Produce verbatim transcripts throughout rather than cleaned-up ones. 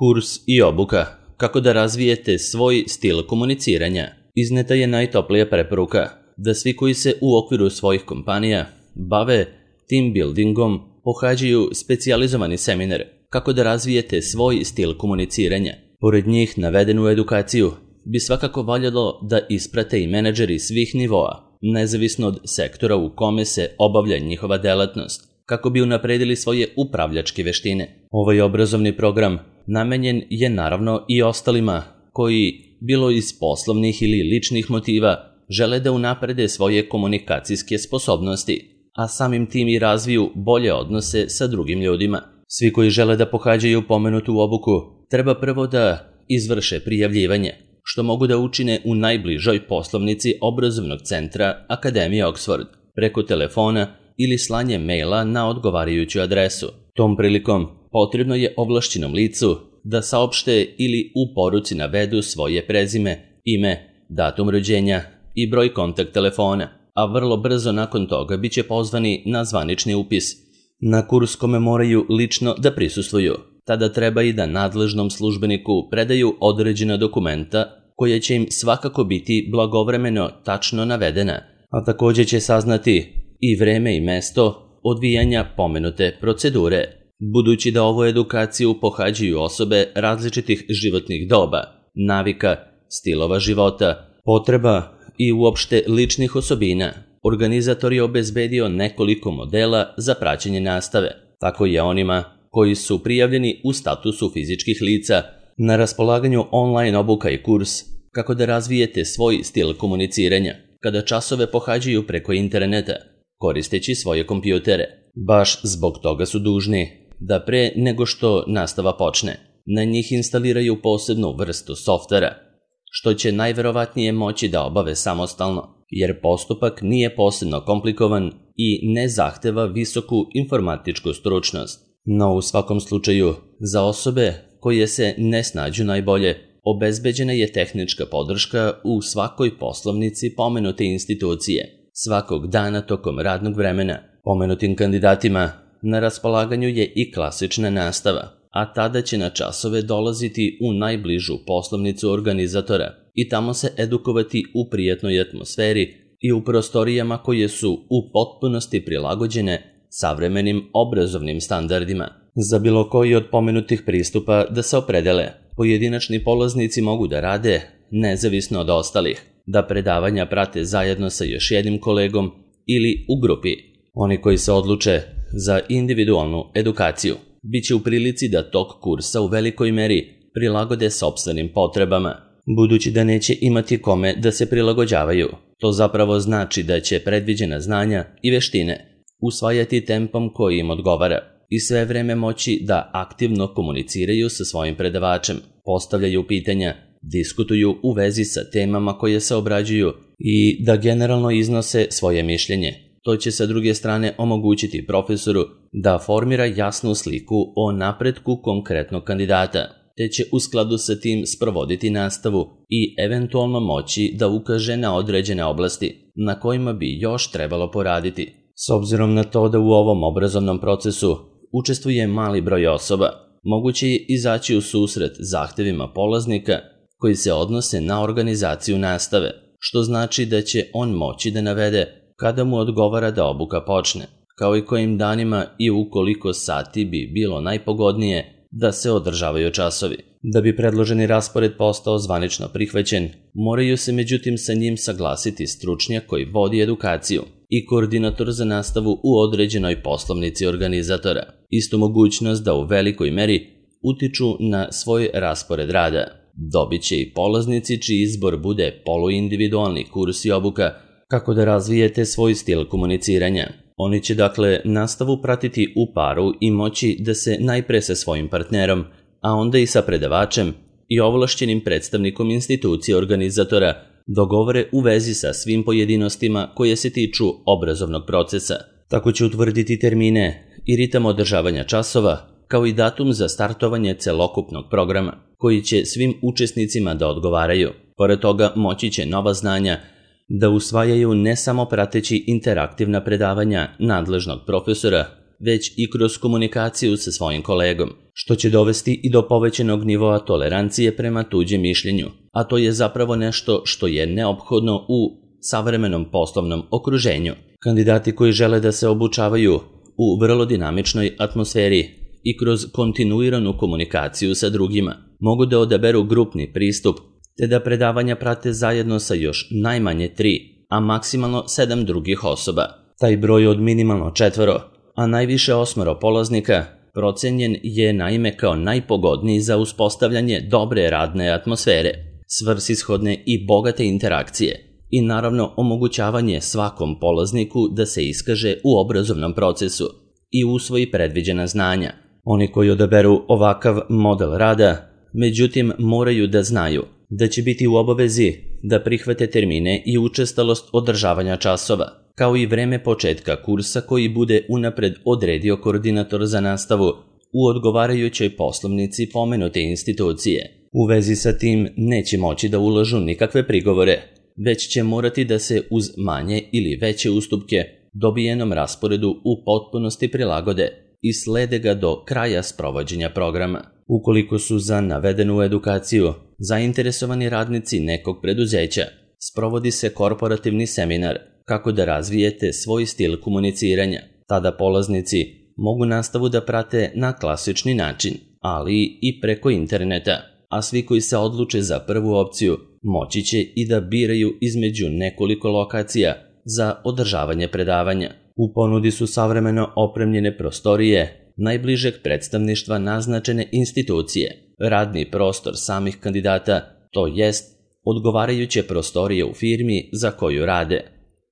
Kurs i obuka. Kako da razvijete svoj stil komuniciranja. Izneta je najtoplija preporuka da svi koji se u okviru svojih kompanija bave team buildingom pohađaju specijalizovani seminar kako da razvijete svoj stil komuniciranja. Pored njih navedenu edukaciju bi svakako valjalo da isprate i menadžeri svih nivoa, nezavisno od sektora u kome se obavlja njihova delatnost, kako bi unapredili svoje upravljačke veštine. Ovaj obrazovni program namenjen je naravno i ostalima koji, bilo iz poslovnih ili ličnih motiva, žele da unaprede svoje komunikacijske sposobnosti, a samim tim i razviju bolje odnose sa drugim ljudima. Svi koji žele da pohađaju pomenutu obuku treba prvo da izvrše prijavljivanje, što mogu da učine u najbližoj poslovnici obrazovnog centra Akademije Oxford, preko telefona ili slanje maila na odgovarajuću adresu. Tom prilikom potrebno je ovlašćenom licu da saopšte ili u poruci navedu svoje prezime, ime, datum rođenja i broj kontakt telefona, a vrlo brzo nakon toga bit će pozvani na zvanični upis. Na kurs kome moraju lično da prisustvuju. Tada treba i da nadležnom službeniku predaju određena dokumenta koja će im svakako biti blagovremeno tačno navedena, a također će saznati i vreme i mesto odvijanja pomenute procedure. Budući da ovu edukaciju pohađaju osobe različitih životnih doba, navika, stilova života, potreba i uopšte ličnih osobina, organizator je obezbedio nekoliko modela za praćenje nastave. Tako je onima koji su prijavljeni u statusu fizičkih lica na raspolaganju online obuka i kurs kako da razvijete svoj stil komuniciranja kada časove pohađaju preko interneta, koristeći svoje kompjutere. Baš zbog toga su dužni da pre nego što nastava počne, na njih instaliraju posebnu vrstu softvera, što će najverovatnije moći da obave samostalno, jer postupak nije posebno komplikovan i ne zahteva visoku informatičku stručnost. No u svakom slučaju, za osobe koje se ne snađu najbolje, obezbeđena je tehnička podrška u svakoj poslovnici pomenute institucije, svakog dana tokom radnog vremena. Pomenutim kandidatima na raspolaganju je i klasična nastava, a tada će na časove dolaziti u najbližu poslovnicu organizatora i tamo se edukovati u prijatnoj atmosferi i u prostorijama koje su u potpunosti prilagođene savremenim obrazovnim standardima. Za bilo koji od pomenutih pristupa da se opredele, pojedinačni polaznici mogu da rade nezavisno od ostalih, da predavanja prate zajedno sa još jednim kolegom ili u grupi. Oni koji se odluče za individualnu edukaciju bit će u prilici da tok kursa u velikoj meri prilagode sopstvenim potrebama, budući da neće imati kome da se prilagođavaju. To zapravo znači da će predviđena znanja i veštine usvajati tempom koji im odgovara i sve vreme moći da aktivno komuniciraju sa svojim predavačem, postavljaju pitanja, diskutuju u vezi sa temama koje se obrađuju i da generalno iznose svoje mišljenje. To će sa druge strane omogućiti profesoru da formira jasnu sliku o napretku konkretnog kandidata, te će u skladu sa tim sprovoditi nastavu i eventualno moći da ukaže na određene oblasti na kojima bi još trebalo poraditi. S obzirom na to da u ovom obrazovnom procesu učestvuje mali broj osoba, moguće je izaći u susret zahtevima polaznika koji se odnose na organizaciju nastave, što znači da će on moći da navede kada mu odgovara da obuka počne, kao i kojim danima i u koliko sati bi bilo najpogodnije da se održavaju časovi. Da bi predloženi raspored postao zvanično prihvaćen, moraju se međutim sa njim saglasiti stručnjak koji vodi edukaciju i koordinator za nastavu u određenoj poslovnici organizatora. Istu mogućnost da u velikoj meri utiču na svoj raspored rada dobit će i polaznici čiji izbor bude poluindividualni kurs i obuka kako da razvijete svoj stil komuniciranja. Oni će dakle nastavu pratiti u paru i moći da se najpre sa svojim partnerom, a onda i sa predavačem i ovlašćenim predstavnikom institucije organizatora dogovore u vezi sa svim pojedinostima koje se tiču obrazovnog procesa. Tako će utvrditi termine i ritam održavanja časova, kao i datum za startovanje celokupnog programa, koji će svim učesnicima da odgovaraju. Pored toga moći će nova znanja da usvajaju ne samo prateći interaktivna predavanja nadležnog profesora, već i kroz komunikaciju sa svojim kolegom, što će dovesti i do povećanog nivoa tolerancije prema tuđem mišljenju, a to je zapravo nešto što je neophodno u savremenom poslovnom okruženju. Kandidati koji žele da se obučavaju u vrlo dinamičnoj atmosferi i kroz kontinuiranu komunikaciju sa drugima mogu da odaberu grupni pristup te da predavanja prate zajedno sa još najmanje tri, a maksimalno sedam drugih osoba. Taj broj od minimalno četvoro, a najviše osmoro polaznika, procenjen je naime kao najpogodniji za uspostavljanje dobre radne atmosfere, svrsishodne i bogate interakcije i naravno omogućavanje svakom polazniku da se iskaže u obrazovnom procesu i usvoji predviđena znanja. Oni koji odaberu ovakav model rada, međutim, moraju da znaju da će biti u obavezi da prihvate termine i učestalost održavanja časova, kao i vreme početka kursa koji bude unapred odredio koordinator za nastavu u odgovarajućoj poslovnici pomenute institucije. U vezi sa tim neće moći da ulažu nikakve prigovore, već će morati da se uz manje ili veće ustupke dobijenom rasporedu u potpunosti prilagode i slede ga do kraja sprovođenja programa. Ukoliko su za navedenu edukaciju zainteresovani radnici nekog preduzeća, sprovodi se korporativni seminar kako da razvijete svoj stil komuniciranja. Tada polaznici mogu nastavu da prate na klasični način, ali i preko interneta, a svi koji se odluče za prvu opciju moći će i da biraju između nekoliko lokacija za održavanje predavanja. U ponudi su savremeno opremljene prostorije najbližeg predstavništva naznačene institucije, radni prostor samih kandidata, to jest odgovarajuće prostorije u firmi za koju rade,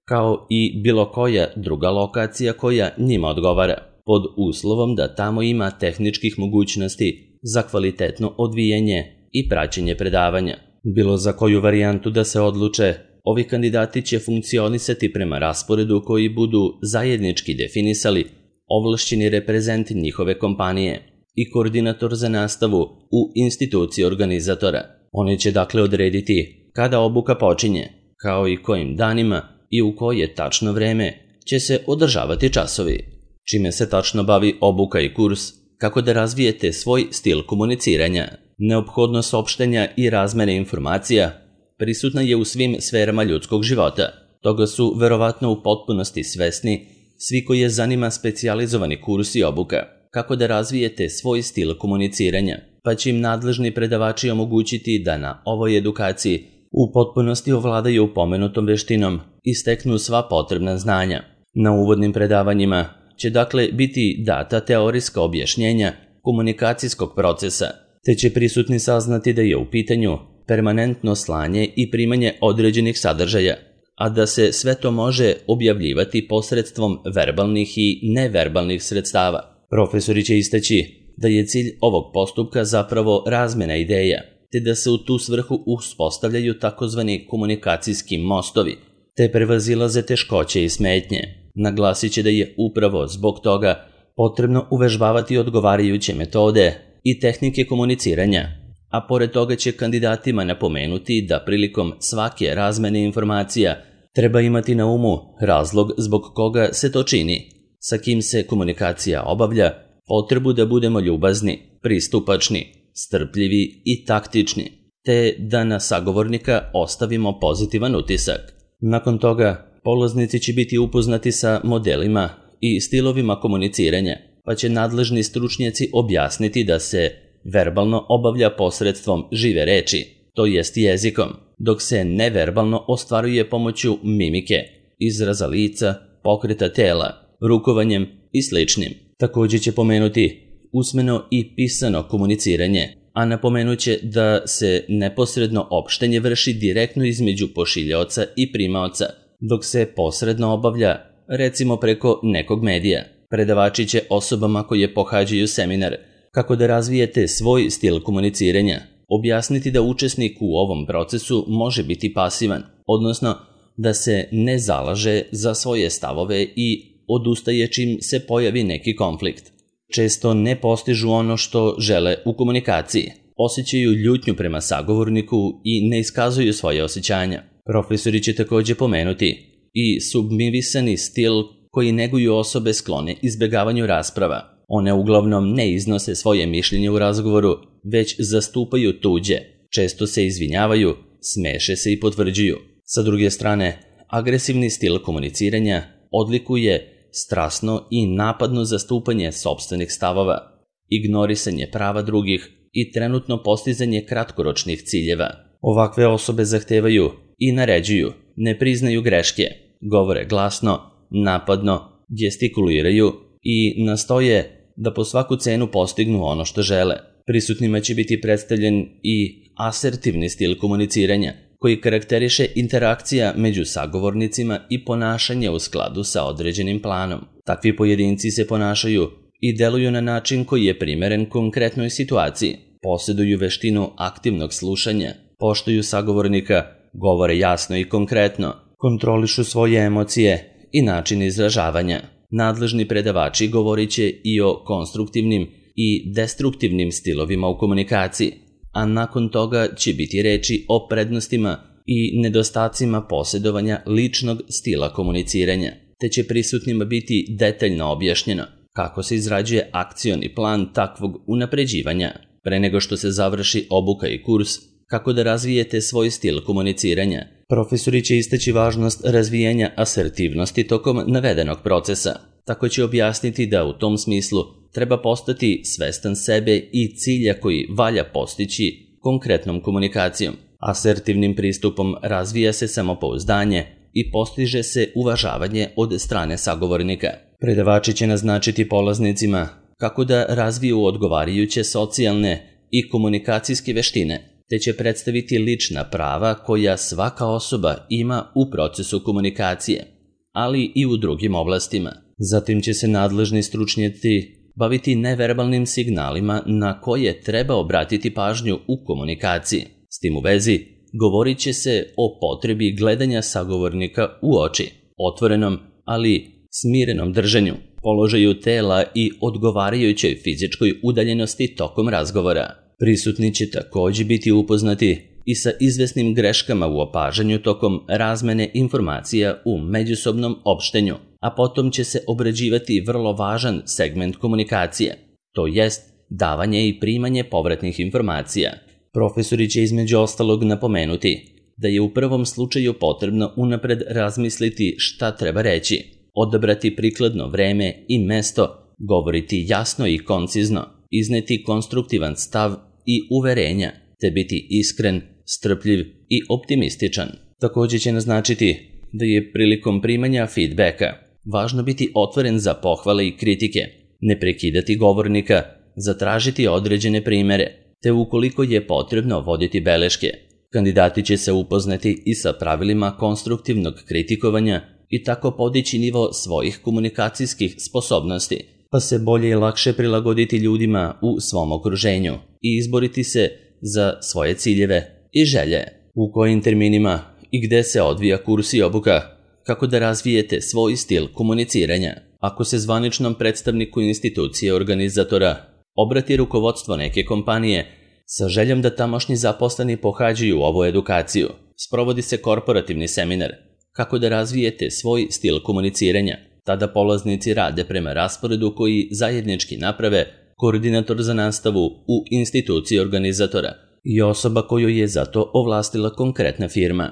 kao i bilo koja druga lokacija koja njima odgovara, pod uslovom da tamo ima tehničkih mogućnosti za kvalitetno odvijanje i praćenje predavanja. Bilo za koju varijantu da se odluče, ovi kandidati će funkcionisati prema rasporedu koji budu zajednički definisali ovlašćeni reprezenti njihove kompanije i koordinator za nastavu u instituciji organizatora. Oni će dakle odrediti kada obuka počinje, kao i kojim danima i u koje tačno vreme će se održavati časovi. Čime se tačno bavi obuka i kurs, kako da razvijete svoj stil komuniciranja. Neophodnost opštenja i razmene informacija prisutna je u svim sferama ljudskog života. Toga su verovatno u potpunosti svesni svi koji je zanima specijalizovani kurs i obuka, kako da razvijete svoj stil komuniciranja, pa će im nadležni predavači omogućiti da na ovoj edukaciji u potpunosti ovladaju pomenutom veštinom i steknu sva potrebna znanja. Na uvodnim predavanjima će dakle biti data teorijska objašnjenja komunikacijskog procesa, te će prisutni saznati da je u pitanju permanentno slanje i primanje određenih sadržaja, a da se sve to može objavljivati posredstvom verbalnih i neverbalnih sredstava. Profesori će istaći da je cilj ovog postupka zapravo razmena ideja, te da se u tu svrhu uspostavljaju takozvani komunikacijski mostovi, te prevazilaze teškoće i smetnje. Naglasit će da je upravo zbog toga potrebno uvežbavati odgovarajuće metode i tehnike komuniciranja, a pored toga će kandidatima napomenuti da prilikom svake razmene informacija treba imati na umu razlog zbog koga se to čini, sa kim se komunikacija obavlja, potrebu da budemo ljubazni, pristupačni, strpljivi i taktični, te da na sagovornika ostavimo pozitivan utisak. Nakon toga, polaznici će biti upoznati sa modelima i stilovima komuniciranja, pa će nadležni stručnjaci objasniti da se verbalno obavlja posredstvom žive reči, to jest jezikom, dok se neverbalno ostvaruje pomoću mimike, izraza lica, pokreta tela, rukovanjem i sličnim. Također će pomenuti usmeno i pisano komuniciranje, a napomenut će da se neposredno opštenje vrši direktno između pošiljaoca i primaoca, dok se posredno obavlja, recimo preko nekog medija. Predavači će osobama koje pohađaju seminar kako da razvijete svoj stil komuniciranja objasniti da učesnik u ovom procesu može biti pasivan, odnosno da se ne zalaže za svoje stavove i odustaje čim se pojavi neki konflikt. Često ne postižu ono što žele u komunikaciji, osjećaju ljutnju prema sagovorniku i ne iskazuju svoje osjećanja. Profesori će također pomenuti i submivisani stil koji neguju osobe sklone izbjegavanju rasprava. One uglavnom ne iznose svoje mišljenje u razgovoru, već zastupaju tuđe, često se izvinjavaju, smeše se i potvrđuju. Sa druge strane, agresivni stil komuniciranja odlikuje strasno i napadno zastupanje sopstvenih stavova, ignorisanje prava drugih i trenutno postizanje kratkoročnih ciljeva. Ovakve osobe zahtevaju i naređuju, ne priznaju greške, govore glasno, napadno, gestikuliraju i nastoje da po svaku cenu postignu ono što žele. Prisutnima će biti predstavljen i asertivni stil komuniciranja, koji karakteriše interakcija među sagovornicima i ponašanje u skladu sa određenim planom. Takvi pojedinci se ponašaju i deluju na način koji je primeren konkretnoj situaciji, posjeduju veštinu aktivnog slušanja, poštuju sagovornika, govore jasno i konkretno, kontrolišu svoje emocije i način izražavanja. Nadležni predavači govorit će i o konstruktivnim i destruktivnim stilovima u komunikaciji, a nakon toga će biti reči o prednostima i nedostacima posjedovanja ličnog stila komuniciranja, te će prisutnima biti detaljno objašnjeno kako se izrađuje akcioni plan takvog unapređivanja, pre nego što se završi obuka i kurs, kako da razvijete svoj stil komuniciranja. Profesori će istaći važnost razvijanja asertivnosti tokom navedenog procesa. Tako će objasniti da u tom smislu treba postati svestan sebe i cilja koji valja postići konkretnom komunikacijom. Asertivnim pristupom razvija se samopouzdanje i postiže se uvažavanje od strane sagovornika. Predavači će naznačiti polaznicima kako da razviju odgovarajuće socijalne i komunikacijske veštine, te će predstaviti lična prava koja svaka osoba ima u procesu komunikacije, ali i u drugim oblastima. Zatim će se nadležni stručnjaci baviti neverbalnim signalima na koje treba obratiti pažnju u komunikaciji. S tim u vezi, govorit će se o potrebi gledanja sagovornika u oči, otvorenom, ali smirenom držanju, položaju tela i odgovarajućoj fizičkoj udaljenosti tokom razgovora. Prisutni će također biti upoznati i sa izvesnim greškama u opažanju tokom razmene informacija u međusobnom opštenju, a potom će se obrađivati vrlo važan segment komunikacije, to jest davanje i primanje povratnih informacija. Profesori će između ostalog napomenuti da je u prvom slučaju potrebno unapred razmisliti šta treba reći, odabrati prikladno vreme i mesto, govoriti jasno i koncizno, izneti konstruktivan stav i uverenja, te biti iskren, strpljiv i optimističan. Također će naznačiti da je prilikom primanja feedbacka važno biti otvoren za pohvale i kritike, ne prekidati govornika, zatražiti određene primere, te ukoliko je potrebno voditi beleške. Kandidati će se upoznati i sa pravilima konstruktivnog kritikovanja i tako podići nivo svojih komunikacijskih sposobnosti, pa se bolje i lakše prilagoditi ljudima u svom okruženju i izboriti se za svoje ciljeve i želje. U kojim terminima i gde se odvija kurs i obuka, kako da razvijete svoj stil komuniciranja. Ako se zvaničnom predstavniku institucije organizatora obrati rukovodstvo neke kompanije sa željom da tamošnji zaposleni pohađaju ovu edukaciju, sprovodi se korporativni seminar kako da razvijete svoj stil komuniciranja. Tada polaznici rade prema rasporedu koji zajednički naprave koordinator za nastavu u instituciji organizatora i osoba koju je za to ovlastila konkretna firma.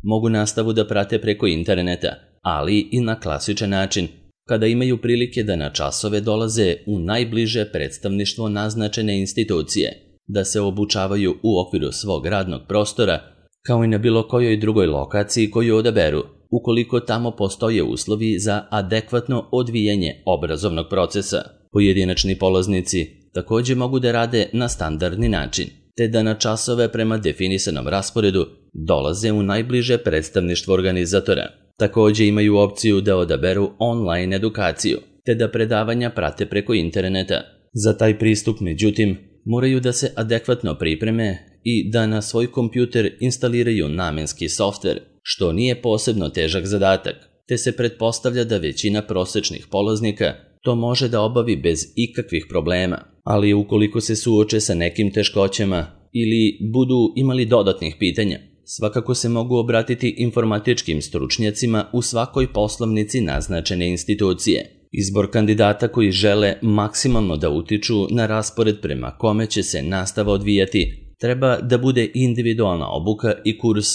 Mogu nastavu da prate preko interneta, ali i na klasičan način, kada imaju prilike da na časove dolaze u najbliže predstavništvo naznačene institucije, da se obučavaju u okviru svog radnog prostora, kao i na bilo kojoj drugoj lokaciji koju odaberu, ukoliko tamo postoje uslovi za adekvatno odvijanje obrazovnog procesa. Pojedinačni polaznici također mogu da rade na standardni način, te da na časove prema definisanom rasporedu dolaze u najbliže predstavništvo organizatora. Također imaju opciju da odaberu online edukaciju, te da predavanja prate preko interneta. Za taj pristup, međutim, moraju da se adekvatno pripreme i da na svoj kompjuter instaliraju namenski softver, što nije posebno težak zadatak, te se pretpostavlja da većina prosečnih polaznika to može da obavi bez ikakvih problema, ali ukoliko se suoče sa nekim teškoćama ili budu imali dodatnih pitanja, svakako se mogu obratiti informatičkim stručnjacima u svakoj poslovnici naznačene institucije. Izbor kandidata koji žele maksimalno da utiču na raspored prema kome će se nastava odvijati treba da bude individualna obuka i kurs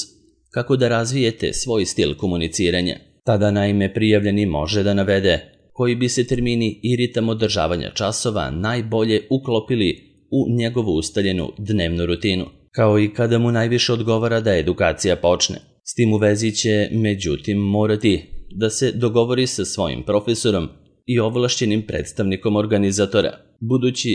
kako da razvijete svoj stil komuniciranja. Tada naime prijavljeni može da navede koji bi se termini i ritam održavanja časova najbolje uklopili u njegovu ustaljenu dnevnu rutinu, kao i kada mu najviše odgovara da edukacija počne. S tim u vezi će, međutim, morati da se dogovori sa svojim profesorom i ovlašćenim predstavnikom organizatora, budući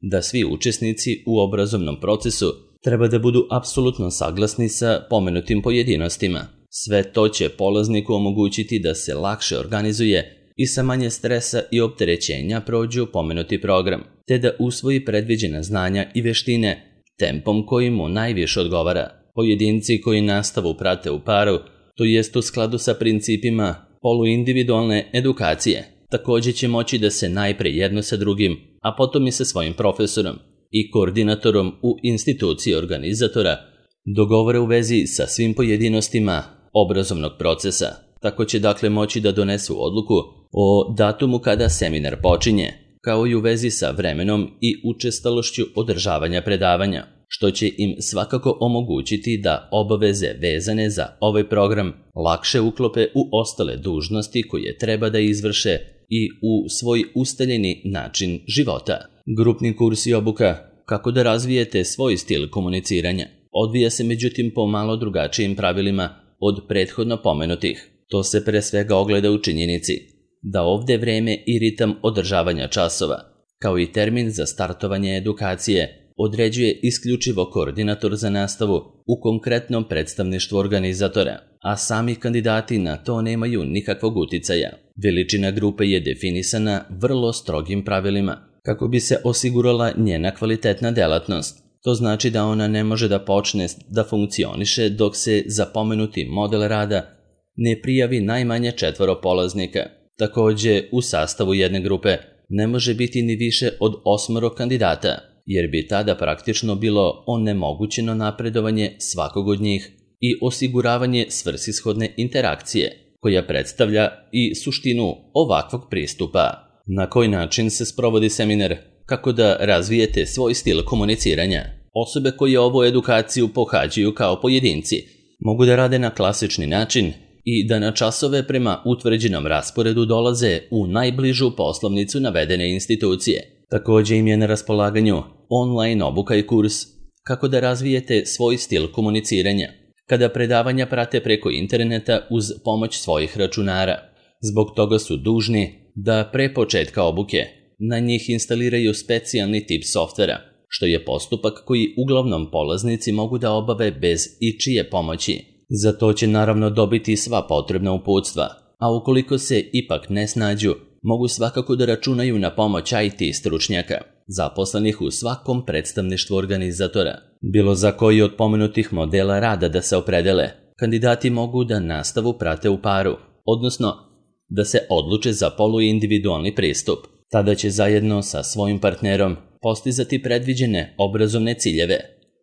da svi učesnici u obrazovnom procesu treba da budu apsolutno saglasni sa pomenutim pojedinostima. Sve to će polazniku omogućiti da se lakše organizuje i sa manje stresa i opterećenja prođu pomenuti program, te da usvoji predviđena znanja i veštine tempom koji mu najviše odgovara. Pojedinci koji nastavu prate u paru, to jest u skladu sa principima poluindividualne edukacije, također će moći da se najpre jedno sa drugim, a potom i sa svojim profesorom i koordinatorom u instituciji organizatora dogovore u vezi sa svim pojedinostima obrazovnog procesa. Tako će dakle moći da donesu odluku o datumu kada seminar počinje, kao i u vezi sa vremenom i učestalošću održavanja predavanja, što će im svakako omogućiti da obaveze vezane za ovaj program lakše uklope u ostale dužnosti koje treba da izvrše i u svoj ustaljeni način života. Grupni kurs i obuka kako da razvijete svoj stil komuniciranja odvija se međutim po malo drugačijim pravilima od prethodno pomenutih. To se pre svega ogleda u činjenici da ovde vreme i ritam održavanja časova, kao i termin za startovanje edukacije, određuje isključivo koordinator za nastavu u konkretnom predstavništvu organizatora, a sami kandidati na to nemaju nikakvog uticaja. Veličina grupe je definisana vrlo strogim pravilima kako bi se osigurala njena kvalitetna delatnost. To znači da ona ne može da počne da funkcioniše dok se za pomenuti model rada ne prijavi najmanje četvoro polaznika. Također, u sastavu jedne grupe ne može biti ni više od osmoro kandidata, jer bi tada praktično bilo onemogućeno napredovanje svakog od njih i osiguravanje svrsishodne interakcije, koja predstavlja i suštinu ovakvog pristupa. Na koji način se sprovodi seminar? Kako da razvijete svoj stil komuniciranja? Osobe koje ovu edukaciju pohađaju kao pojedinci mogu da rade na klasični način i da na časove prema utvrđenom rasporedu dolaze u najbližu poslovnicu navedene institucije. Također im je na raspolaganju online obuka i kurs kako da razvijete svoj stil komuniciranja, kada predavanja prate preko interneta uz pomoć svojih računara. Zbog toga su dužni da pre početka obuke na njih instaliraju specijalni tip softvera, što je postupak koji uglavnom polaznici mogu da obave bez ičije pomoći. Za to će naravno dobiti sva potrebna uputstva, a ukoliko se ipak ne snađu, mogu svakako da računaju na pomoć I T stručnjaka, zaposlenih u svakom predstavništvu organizatora. Bilo za koji od pomenutih modela rada da se opredele, kandidati mogu da nastavu prate u paru, odnosno da se odluče za poluindividualni pristup. Tada će zajedno sa svojim partnerom postizati predviđene obrazovne ciljeve,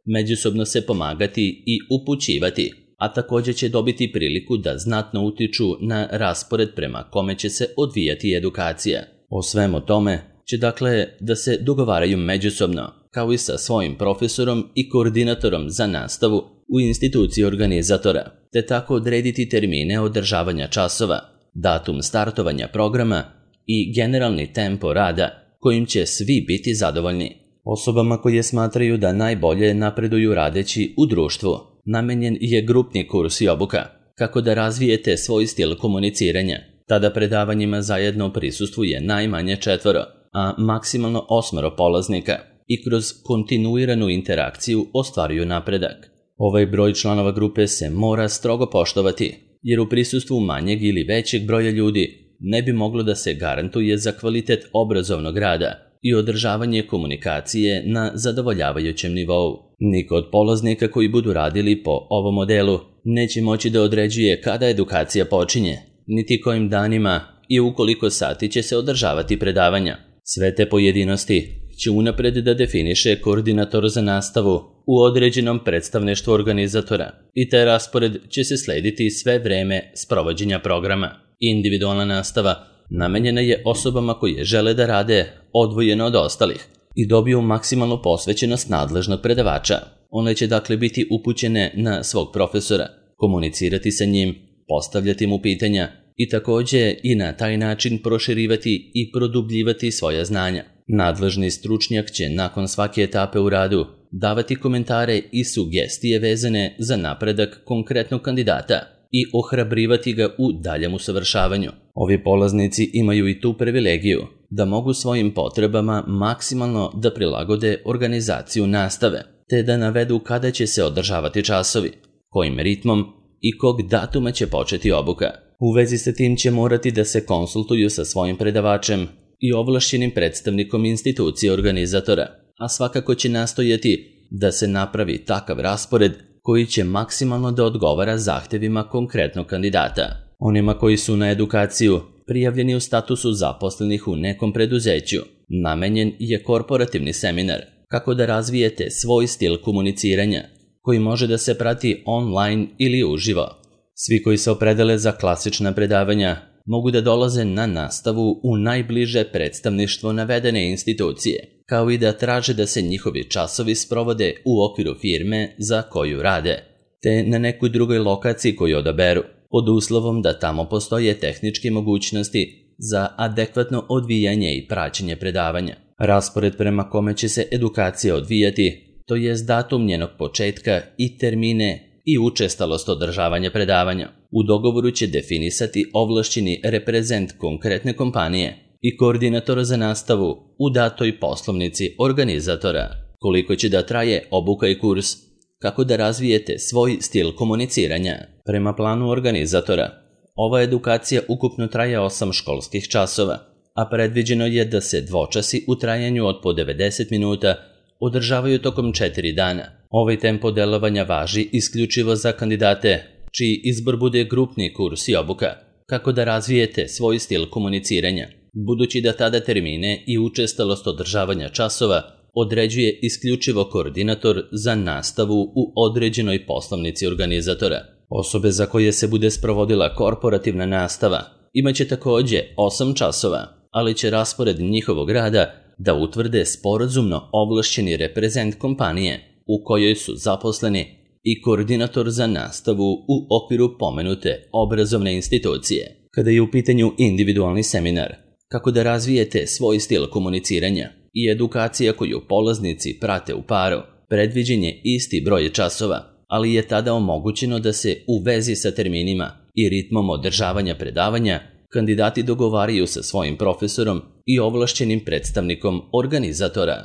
međusobno se pomagati i upućivati, a također će dobiti priliku da znatno utiču na raspored prema kome će se odvijati edukacija. O svemu tome će dakle da se dogovaraju međusobno, kao i sa svojim profesorom i koordinatorom za nastavu u instituciji organizatora, te tako odrediti termine održavanja časova, datum startovanja programa i generalni tempo rada kojim će svi biti zadovoljni. Osobama koje smatraju da najbolje napreduju radeći u društvu, namenjen je grupni kurs i obuka, kako da razvijete svoj stil komuniciranja. Tada predavanjima zajedno prisustvuje najmanje četvoro, a maksimalno osmoro polaznika i kroz kontinuiranu interakciju ostvaruju napredak. Ovaj broj članova grupe se mora strogo poštovati, jer u prisustvu manjeg ili većeg broja ljudi ne bi moglo da se garantuje za kvalitet obrazovnog rada i održavanje komunikacije na zadovoljavajućem nivou. Niko od polaznika koji budu radili po ovom modelu neće moći da određuje kada edukacija počinje, niti kojim danima i u koliko sati će se održavati predavanja. Sve te pojedinosti će unapred da definiše koordinator za nastavu u određenom predstavništvu organizatora i taj raspored će se slediti sve vreme sprovođenja programa. Individualna nastava namenjena je osobama koje žele da rade odvojeno od ostalih i dobiju maksimalnu posvećenost nadležnog predavača. One će dakle biti upućene na svog profesora, komunicirati sa njim, postavljati mu pitanja i također i na taj način proširivati i produbljivati svoja znanja. Nadležni stručnjak će nakon svake etape u radu davati komentare i sugestije vezane za napredak konkretnog kandidata i ohrabrivati ga u daljem usavršavanju. Ovi polaznici imaju i tu privilegiju da mogu svojim potrebama maksimalno da prilagode organizaciju nastave, te da navedu kada će se održavati časovi, kojim ritmom i kog datuma će početi obuka. U vezi sa tim će morati da se konsultuju sa svojim predavačem i ovlašćenim predstavnikom institucije organizatora, a svakako će nastojati da se napravi takav raspored koji će maksimalno da odgovara zahtevima konkretnog kandidata. Onima koji su na edukaciju prijavljeni u statusu zaposlenih u nekom preduzeću, namenjen je korporativni seminar kako da razvijete svoj stil komuniciranja, koji može da se prati online ili uživo. Svi koji se opredele za klasična predavanja mogu da dolaze na nastavu u najbliže predstavništvo navedene institucije, kao i da traže da se njihovi časovi sprovode u okviru firme za koju rade, te na nekoj drugoj lokaciji koju odaberu, pod uslovom da tamo postoje tehničke mogućnosti za adekvatno odvijanje i praćenje predavanja. Raspored prema kome će se edukacija odvijati, to jest datum njenog početka i termine i učestalost održavanja predavanja, u dogovoru će definisati ovlašćeni reprezent konkretne kompanije i koordinator za nastavu u datoj poslovnici organizatora. Koliko će da traje obuka i kurs, kako da razvijete svoj stil komuniciranja. Prema planu organizatora, ova edukacija ukupno traje osam školskih časova, a predviđeno je da se dvočasi u trajanju od po devedeset minuta održavaju tokom četiri dana. Ovaj tempo delovanja važi isključivo za kandidate čiji izbor bude grupni kurs i obuka, kako da razvijete svoj stil komuniciranja, budući da tada termine i učestalost održavanja časova određuje isključivo koordinator za nastavu u određenoj poslovnici organizatora. Osobe za koje se bude sprovodila korporativna nastava imaće također osam časova, ali će raspored njihovog rada da utvrde sporazumno ovlašćeni reprezent kompanije u kojoj su zaposleni i koordinator za nastavu u okviru pomenute obrazovne institucije. Kada je u pitanju individualni seminar, kako da razvijete svoj stil komuniciranja i edukacija koju polaznici prate u paru, predviđen je isti broj časova, ali je tada omogućeno da se u vezi sa terminima i ritmom održavanja predavanja kandidati dogovaraju sa svojim profesorom i ovlašćenim predstavnikom organizatora.